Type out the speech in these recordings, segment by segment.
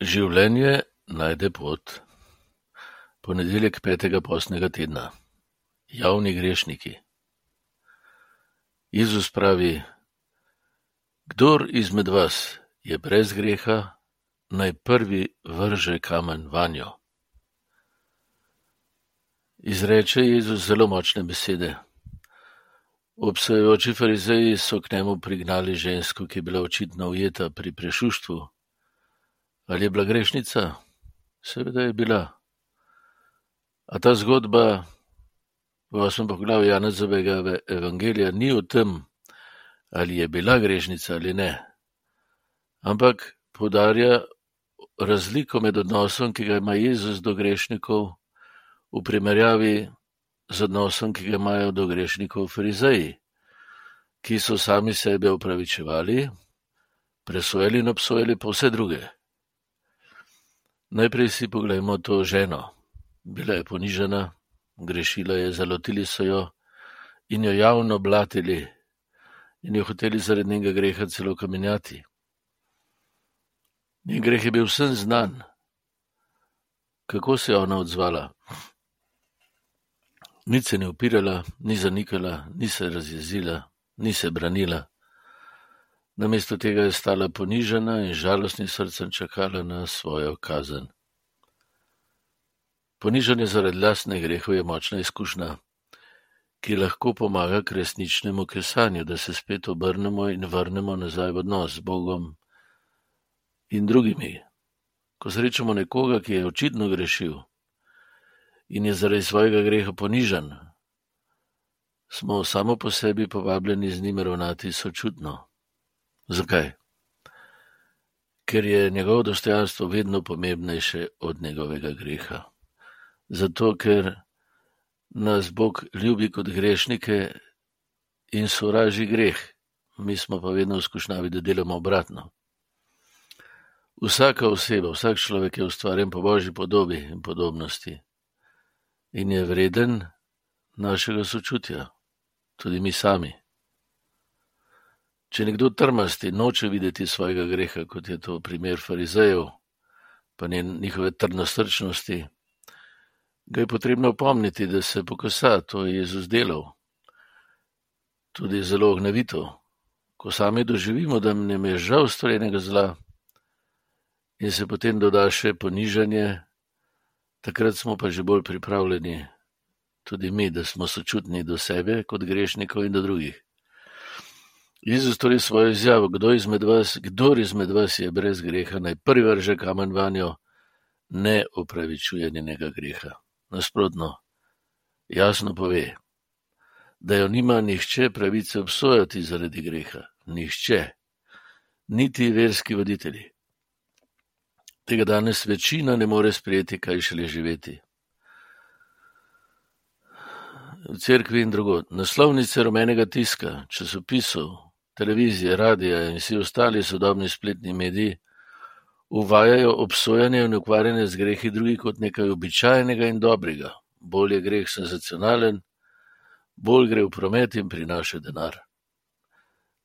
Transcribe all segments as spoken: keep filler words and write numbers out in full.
Življenje najde pot. Ponedeljek petega postnega tedna. Javni grešniki. Jezus pravi: Kdor izmed vas je brez greha, naj prvi vrže kamen vanjo. Izreče Jezus zelo močne besede. Obsojajoči farizeji so k njemu prignali žensko, ki je bila očitno ujeta pri prešuštvu. Ali je bila grešnica? Seveda je bila. A ta zgodba v osmem poglavju Janezovega evangelija ni o tem, ali je bila grešnica ali ne, ampak poudarja razliko med odnosom, ki ga ima Jezus do grešnikov, v primerjavi z odnosom, ki ga imajo do grešnikov farizeji, ki so sami sebe opravičevali, presojali in obsojali pa vse druge. Najprej si poglejmo to ženo. Bila je ponižana, grešila je, zalotili so jo in jo javno blatili in jo hoteli zaradi njenega greha celo kamenjati. Njen greh je bil vsem znan. Kako se je ona odzvala? Nič se ni upirala, ni zanikala, ni se razjezila, ni se branila. Namesto tega je stala ponižana in žalostnim srcem čakala na svojo kazen. Ponižanje zaradi lastnih grehov je močna izkušnja, ki lahko pomaga k resničnemu kesanju, da se spet obrnemo in vrnemo nazaj v odnos z Bogom in drugimi. Ko srečamo nekoga, ki je očitno grešil in je zaradi svojega greha ponižan, smo samo po sebi povabljeni z njim ravnati sočutno. Zakaj? Ker je njegovo dostojanstvo vedno pomembnejše od njegovega greha. Zato, ker nas Bog ljubi kot grešnike in sovraži greh, mi smo pa vedno v skušnjavi, da delamo obratno. Vsaka oseba, vsak človek je ustvarjen po Božji podobi in podobnosti in je vreden našega sočutja, tudi mi sami. Če nekdo trmasti noče videti svojega greha, kot je to primer farizejev, pa njihove trdnosrčnosti, ga je potrebno opomniti, da se pokosa, to je Jezus delal. Tudi zelo ognjevito. Ko sami doživimo, da nam je žal storjenega zla in se potem doda še ponižanje, takrat smo pa že bolj pripravljeni, tudi mi, da smo sočutni do sebe kot grešnikov in do drugih. Jezus torej svojo izjavo, kdo izmed vas, kdor izmed vas je brez greha, naj prvi vrže kamen vanjo, ne opravičuje njenega greha. Nasprotno, jasno pove, da jo nima nihče pravice obsojati zaradi greha. Nihče, niti verski voditelji. Tega danes večina ne more sprejeti, kaj šele živeti. V cerkvi in drugod. Naslovnice rumenega tiska, časopisov, televizije, radija in vsi ostali sodobni spletni mediji uvajajo obsojanje in ukvarjanje z grehi drugih kot nekaj običajnega in dobrega. Bolj je greh senzacionalen, bolj gre v promet in prinaša denar.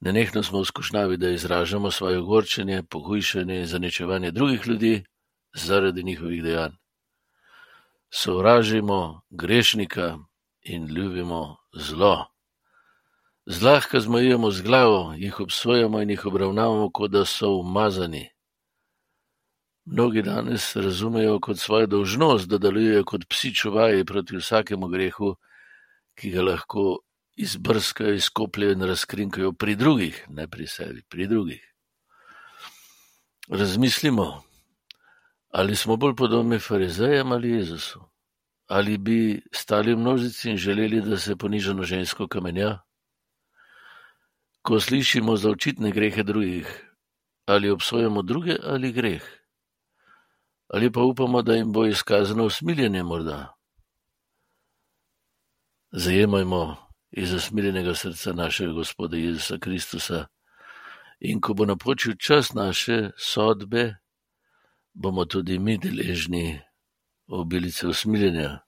Nenehno smo v skušnjavi, da izražamo svoje ogorčenje, pohujšanje in zaničevanje drugih ljudi zaradi njihovih dejanj. Sovražimo grešnika in ljubimo zlo. Zlahka zmajujemo z glavo, jih obsojamo in jih obravnavamo, kot da so umazani. Mnogi danes razumejo kot svojo dolžnost, da delujejo kot psi čuvaji proti vsakemu grehu, ki ga lahko izbrskajo, izkopljajo in razkrinkajo pri drugih, ne pri sebi, pri drugih. Razmislimo, ali smo bolj podobni farizejem ali Jezusu? Ali bi stali v množici in želeli, da se ponižano žensko kamenja? Ko slišimo za očitne grehe drugih, ali obsojamo druge ali greh? Ali pa upamo, da jim bo izkazano usmiljenje morda? Zajemajmo iz usmiljenega srca našega Gospoda Jezusa Kristusa in ko bo napočil čas naše sodbe, bomo tudi mi deležni obilice usmiljenja,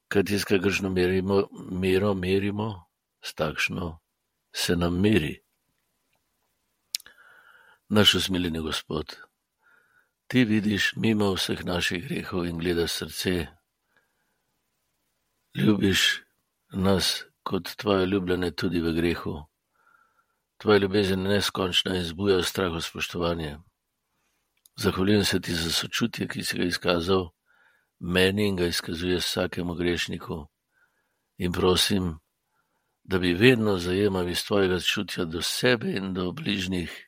kajti s kakršno merimo, mero merimo, s takšno se nam meri. Naš usmiljeni Gospod, Ti vidiš mimo vseh naših grehov in gledaš srce. Ljubiš nas kot tvoje ljubljene tudi v grehu. Tvoja ljubezen je neskončna in zbuja strah v spoštovanje. Zahvaljujem se ti za sočutje, ki si ga izkazal meni in ga izkazuje vsakemu grešniku. In prosim, da bi vedno zajemali iz tvojega čutja do sebe in do bližnjih,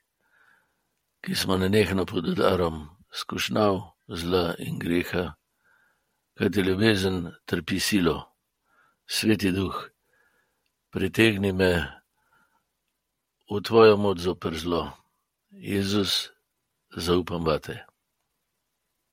ki smo nenehno pod udarom skušnjav, zla in greha, kajti ljubezen trpi silo. Sveti Duh, pritegni me v tvojo moč zoper zlo. Jezus, zaupam vate.